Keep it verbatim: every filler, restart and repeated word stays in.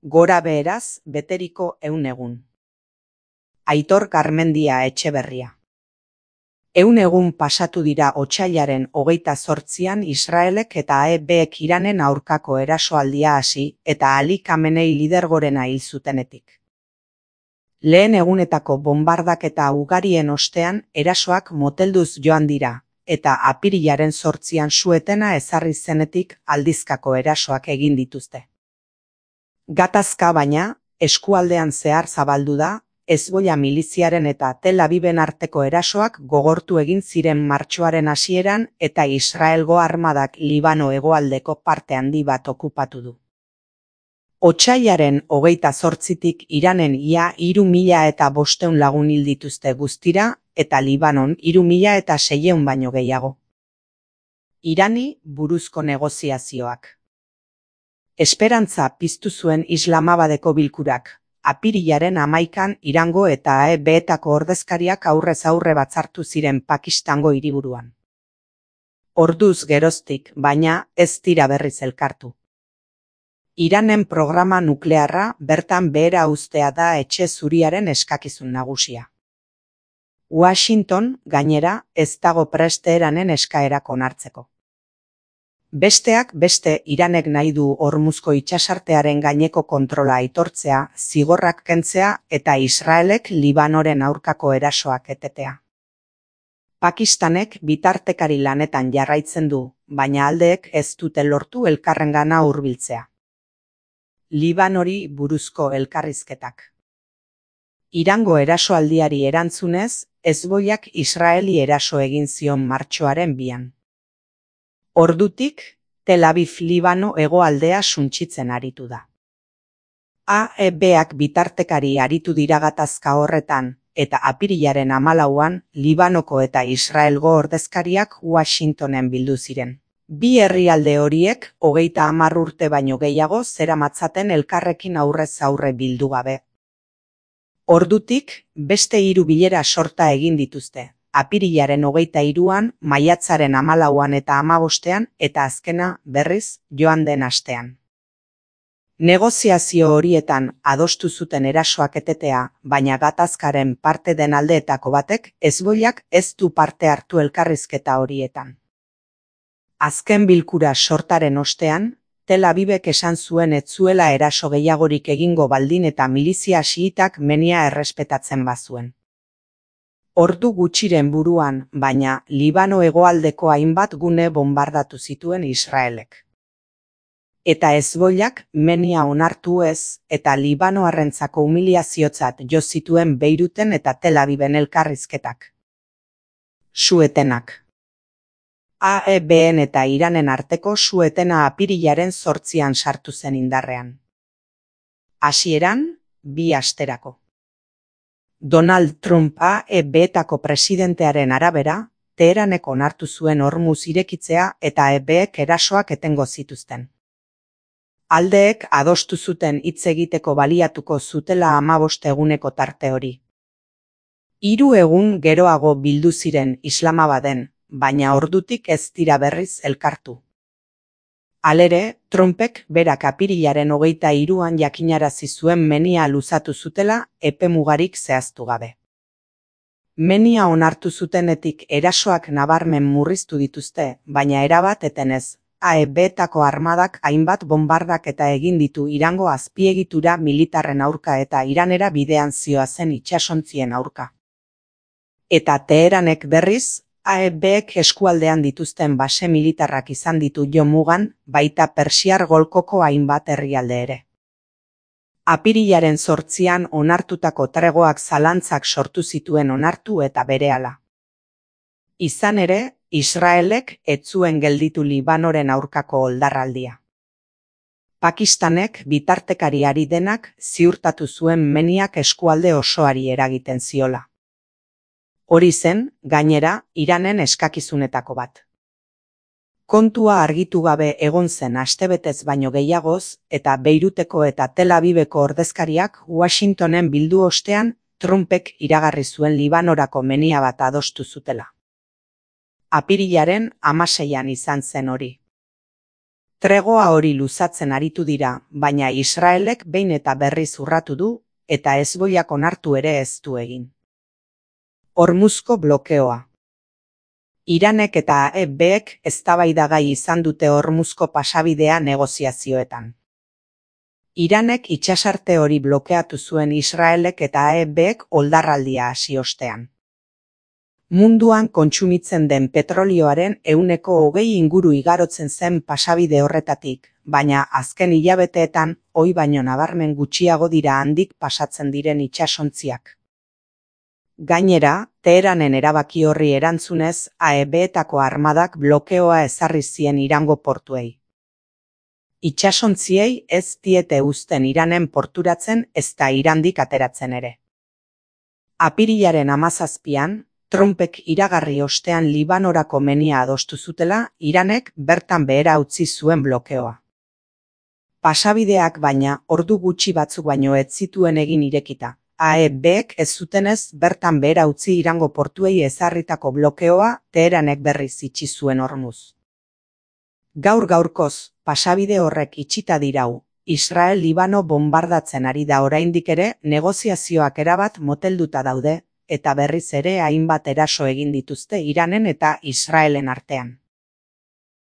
Gora beheraz beteriko ehun egun. Aitor Garmendia Etxeberria. Ehun egun pasatu dira otsailaren hogeita zortzian Israelek eta A E Bek Iranen aurkako erasoaldia hasi eta Ali Khamenei lidergorena hil zutenetik. Lehen egunetako bonbardaketa ugarien ostean erasoak motelduz joan dira, eta apirilaren zortzian su-etena ezarri zenetik aldizkako erasoak egin dituzte. Gatazka baina, eskualdean zehar zabaldu da, Hezbollah miliziaren eta Tel Aviven arteko erasoak gogortu egin ziren martxoaren hasieran eta Israelgo armadak Libano hegoaldeko parte handi bat okupatu du. Otsailaren hogeita zortzitik Iranen ia hiru mila eta bostehun lagun hil dituzte guztira eta Libanon hiru mila eta seiehun baino gehiago. Irani buruzko negoziazioak. Esperantza piztu zuen Islamabadeko bilkurak. Apirilaren hamaikan Irango eta A E Betako ordezkariak aurrez aurre batzartu ziren Pakistango hiriburuan. Orduz geroztik, baina, ez dira berriz elkartu. Iranen programa nuklearra bertan behera uztea da etxe zuriaren eskakizun nagusia. Washington, gainera, ez dago prest Teheranen eskaerak onartzeko. Besteak beste Iranek nahi du Hormuzko itsasartearen gaineko kontrola aitortzea, zigorrak kentzea eta Israelek Libanoren aurkako erasoak etetea. Pakistanek bitartekari lanetan jarraitzen du, baina aldeek ez dute lortu elkarrengana hurbiltzea. Libanori buruzko elkarrizketak. Irango erasoaldiari erantzunez, Hezbollak Israeli eraso egin zion martxoaren bian. Ordutik, Tel Aviv Libano hegoaldea suntsitzen aritu da. A E Bak bitartekari aritu dira gatazka horretan, eta apirilaren hamalauan Libanoko eta Israelgo ordezkariak Washingtonen bildu ziren. Bi herrialde horiek hogeita hamar urte baino gehiago zeramatzaten elkarrekin aurrez aurre bildu gabe. Ordutik, beste hiru bilera sorta egin dituzte. Apirilaren hogeita hiruan, maiatzaren hamalauan eta hamabostean eta azkena berriz joan den astean. Negoziazio horietan adostu zuten erasoak etetea, baina gatazkaren parte den aldeetako batek Hezbollak ez du parte hartu elkarrizketa horietan. Azken bilkura sortaren ostean, Tel Avivek esan zuen ez zuela eraso gehiagorik egingo baldin eta milizia xiitak menia errespetatzen bazuen. Ordu gutxiren buruan, baina, Libano hegoaldeko hainbat gune bonbardatu zituen Israelek. Eta Hezbollak menia onartu ez, eta Libanoarrentzako humiliaziotzat jo zituen Beiruten eta Tel Aviven elkarrizketak. Su-etenak. A E Ben eta Iranen arteko su-etena apirilaren zortzian sartu zen indarrean. Hasieran, bi asterako. Donald Trump A E Betako presidentearen arabera, Teheranek onartu zuen Hormuz irekitzea eta A E Bek erasoak etengo zituzten. Aldeek adostu zuten hitz egiteko baliatuko zutela hamabost eguneko tarte hori. Hiru egun geroago bildu ziren Islamabaden, baina ordutik ez dira berriz elkartu. Halere, Trumpek berak apirilaren hogeita hiruan jakinarazi zuen menia luzatu zutela epe mugarik zehaztu gabe. Menia onartu zutenetik erasoak nabarmen murriztu dituzte, baina erabat etenez, A E Betako armadak hainbat bonbardak eta egin ditu Irango azpiegitura militarren aurka eta Iranera bidean zihoazen itsasontzien aurka. Eta Teheranek berriz, A E Bek eskualdean dituzten base militarrak izan ditu jo mugan, baita Persiar golkoko hainbat herrialde ere. Apirilaren zortzian onartutako tregoak zalantzak sortu zituen onartu eta berehala. Izan ere, Israelek ez zuen gelditu Libanoren aurkako oldarraldia. Pakistanek bitartekari ari denak ziurtatu zuen meniak eskualde osoari eragiten ziola. Hori zen, gainera, Iranen eskakizunetako bat. Kontua argitu gabe egon zen astebetez baino gehiagoz, eta Beiruteko eta Tel Aviveko ordezkariak Washingtonen bildu ostean, Trumpek iragarri zuen Libanorako menia bat adostu zutela. Apirilaren hamaseian izan zen hori. Tregoa hori luzatzen aritu dira, baina Israelek behin eta berriz urratu du, eta hezbolak onartu ere ez du egin. Hormuzko blokeoa. Iranek eta A E Bek eztabaidagai izan dute Hormuzko pasabidea negoziazioetan. Iranek itsasarte hori blokeatu zuen Israelek eta A E Bek oldarraldia hasi ostean. Munduan kontsumitzen den petrolioaren ehuneko hogei inguru igarotzen zen pasabide horretatik, baina azken hilabeteetan ohi baino nabarmen gutxiago dira handik pasatzen diren itsasontziak. Gainera, Teheranen erabaki horri erantzunez, A E Betako armadak blokeoa ezarri zien Irango portuei. Itsasontziei ez diete uzten Iranen porturatzen ezta Irandik ateratzen ere. Apirilaren hamazazpian, Trumpek iragarri ostean Libanorako menia adostu zutela, Iranek bertan behera utzi zuen blokeoa. Pasabideak baina, ordu gutxi batzuk baino ez zituen egin irekita. A E Bek ez zutenez bertan behera utzi Irango portuei ezarritako blokeoa Teheranek berriz itxi zuen Hormuz. Gaur gaurkoz, pasabide horrek itxita dirau, Israel Libano bombardatzen ari da oraindik ere negoziazioak erabat motelduta daude, eta berriz ere hainbat eraso egin dituzte Iranen eta Israelen artean.